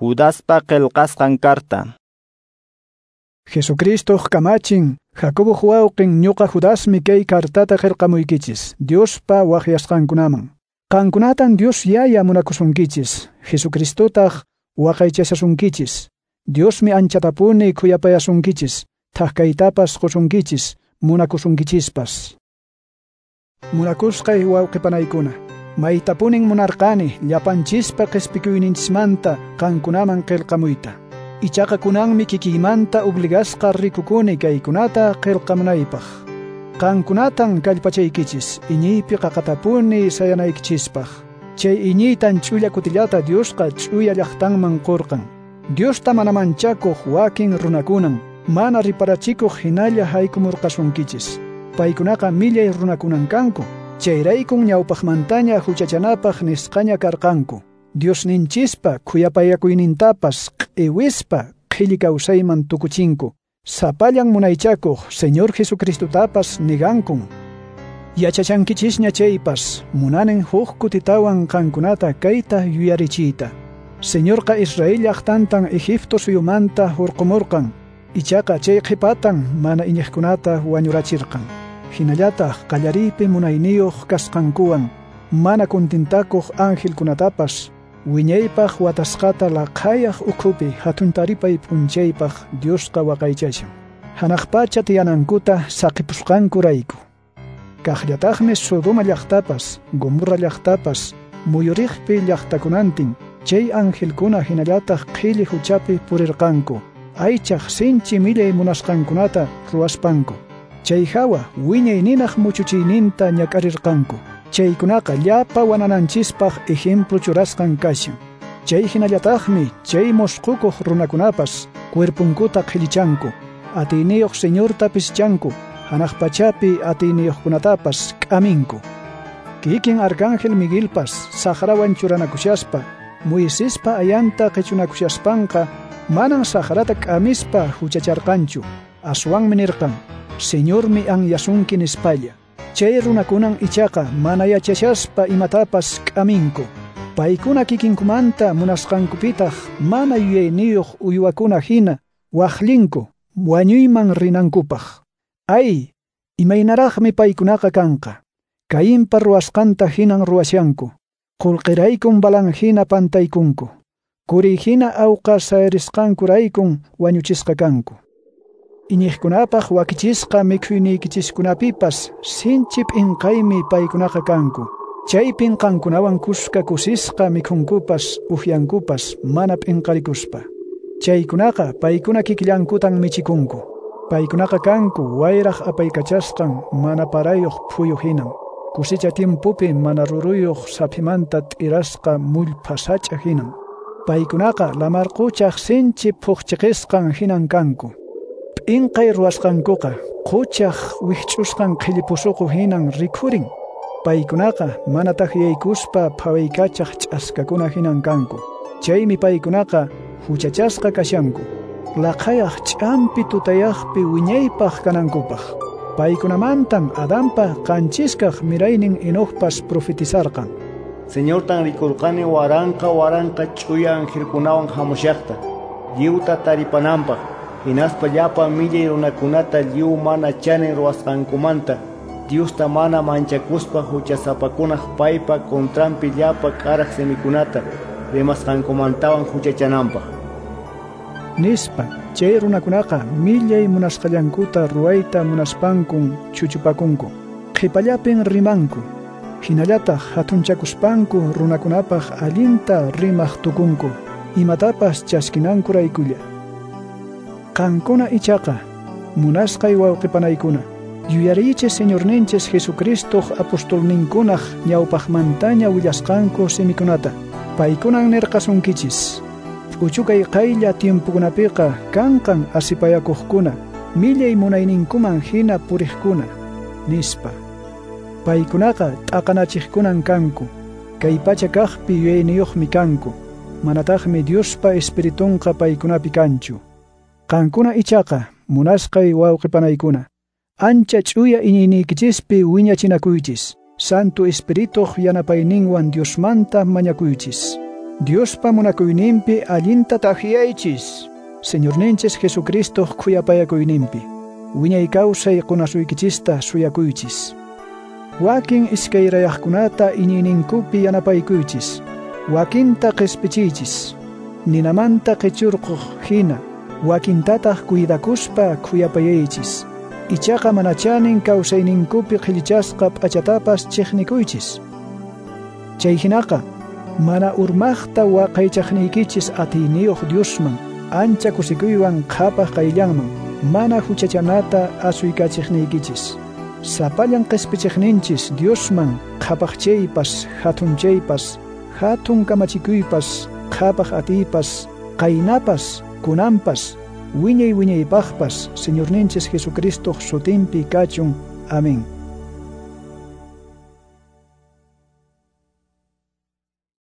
Judaspa qillqasqan karta. Jesucristoq kamachin, Jacoboq wawqin ñuqa Judasmi kay kartata qillqamuykichis, Diospa waqyasqankunaman. Qankunatan Dios Yaya munakusunkichis, Jesucristotaq waqaychashasunkichis. Diosmi anchatapuni khuyapayasunkichis, thak-kaytapas qusunkichis, munakusunkichispas. Munakusqay wawqipanaykuna, maytapunin munarqani llapanchispa qhispikuyninchismanta qankunaman qillqamuyta. Ichaqa kunanmi kikiymanta obligasqa rikukuni kaykunata qillqamunaypaq. Qankunatan kallpachaykichis iñiypi qaqatapuni sayanaykichispaq. Chay iñiytan ch'ulla kutillata Diosqa ch'uya llaqtanman qurqan. Diosta mana manchakuq wakin runakunan mana riparachikuq hinalla haykumurqasunkichis. Paykunaqa millay runakunan kanku. Chayraykun ñawpaqmantaña huchachanapaq nisqaña karqanku. Diosninchispa khuyapayakuynintapas q'iwispa qhilli kawsayman tukuchinku. Sapallan munaychakuq Señor Jesucristotapas nigankun. Yachachankichisña chaypas munanin huk kutitawan qankunata kayta yuyarichiyta. Señorqa Israel llaqtantan Egipto suyumanta hurqumurqan. Ichaqa chay qhipatan mana iñiqkunata wañurachirqan. Hinallataq qallariypi munayniyuq kasqankuwan mana kuntintakuq angelkunatapas wiñaypaq watasqata laqhayaq ukhupi hatun taripay p'unchaypaq Diosqa waqaychashan. Hanaq pacha tiyanankuta saqipusqankurayku. Kaqllataqmi Sodoma llaqtapas, Gomorra llaqtapas, muyuriqpi llaqtakunantin chay angelkuna hinallataq qhilli huchapi purirqanku, aychaq sinchi millay munasqankunata ruwaspanku. Chay hawa wiñay ninaq muchuchiyninta ñak'arirqanku. Chaykunaqa llapa wanananchispaq ejemplo churasqan kashan. Chay hinallataqmi chay mosqukuq runakunapas cuerpunkuta qhillichanku, atiyniyuq Señorta pischanku, hanaq pachapi atiyniyuqkunatapas k'aminku. Kikin Arcángel Miguelpas saqrawan churanakushaspa, Moisespa ayanta qichunakushaspanqa manan saqrata k'amispa huchacharqanchu. Aswanmi nirqan, Señormi anyasunki nispalla. Chay runakunan ichaqa mana yachashaspa imatapas k'aminku. Paykuna kikinkumanta munasqankupitaq mana yuyayniyuq uywakuna hina waqllinku wañuyman rinankupaq. Ay, imaynaraqmi paykunaqa kanqa. Cainpa ruwasqanta hinan ruwashanku. Qullqiraykun balan hina pantaykunku. Quri hina awqa sayarisqankuraykun wañuchisqa kanku. Iñiqkunapaq wakichisqa mikhuyniykichiskunapipas sinchi p'inqaymi paykunaqa kanku. Chaypin qankunawan kuska kusisqa mikhunkupas upyankupas mana p'inqarikuspa. Chaykunaqa paykuna kikillankutan michikunku. Paykunaqa kanku wayraq apaykachasqan mana parayuq phuyu hinan. Kusicha timpupi mana ruruyuq saphimanta t'irasqa mullpha sach'a hinan. Paykunaqa lamar quchaq sinchi phuqchiqisqan hinan kanku. P'inqay ruwasqankuqa quchaq wikch'usqan qhilli pusuqu hinan rikhurin. Paykunaqa mana takyaykuspa phawaykachaq ch'askakuna hinan kanku. Chaymi paykunaqa huchachasqa kashanku. Laqhayaq ch'ampi tutayaqpi wiñaypaq kanankupaq. Paykunamantan Adanpa qanchiskaq miraynin Enocpas profetizarqan. Señortan rikurqani waranqa waranqa ch'uya angelkunawan hamushaqta, lliwta taripananpaq, hinaspa llapa millay runakunata lliw mana chanin ruwasqankumanta, Diosta mana manchakuspa huchasapakunaq paypa contranpi llapa k'araq simikunata rimasqankumantawan huchachananpaq. Nispa, chay runakunaqa millay munasqallankuta ruwayta munaspankun chuchupakunku. Qhipallapin rimanku. Hinallataq hatunchakuspanku runakunapaq allinta rimaq tukunku, imatapas chaskinankuraykulla. Qankuna ichaqa, munasqay wawqipanaykuna, yuyariychis Señorninchis Jesucristoq apostolninkunaq ñawpaqmantaña willasqanku simikunata. Paykunan nirqasunkichis. P'uchukay qaylla tiempukunapiqa kanqan asipayakuqkuna, millay munayninkuman hina puriqkuna, nispa. Paykunaqa t'aqanachiqkunan kanku, kay pacha kaqpi yuyayniyuqmi kanku, manataqmi Diospa Espiritunqa paykunapi kanchu. Qankuna ichaqa, munasqay wawqipanaykuna, ancha ch'uya iñiyniykichispi wiñachinakuychis, Santo Espirituq yanapayninwan Diosmanta mañakuychis. Diospa munakuyninpi allinta takyaychis, Señorninchis Jesucristoq khuyapayakuyninpi. Wiñay kawsay qunasuykichista suyakuychis. Wakin iskayrayaqkunata iñiyninkupi yanapaykuychis. Wakinta qispichiychis. Ninamanta qichurquq hina, wakintataq cuidakuspa khuyapayaychis. Ichaqa mana chanin kawsayninkupi qhillichasqa p'achatapas chiqnikuychis. Chay hinaqa, mana urmaqta waqaychaqniykichis atiyniyuq Diosman, ancha kusikuywan qhapaq qayllanman, mana huchachanata asuykachiqniykichis. Sapallan qispichiqninchis Diosman qhapaqchaypas, hatunchaypas, hatun kamachikuypas, qhapaq atiypas, qaynapas, kunanpas, wiñay wiñaypaqpas, Señorninchis Jesucristoq sutinpi kachun. Amén.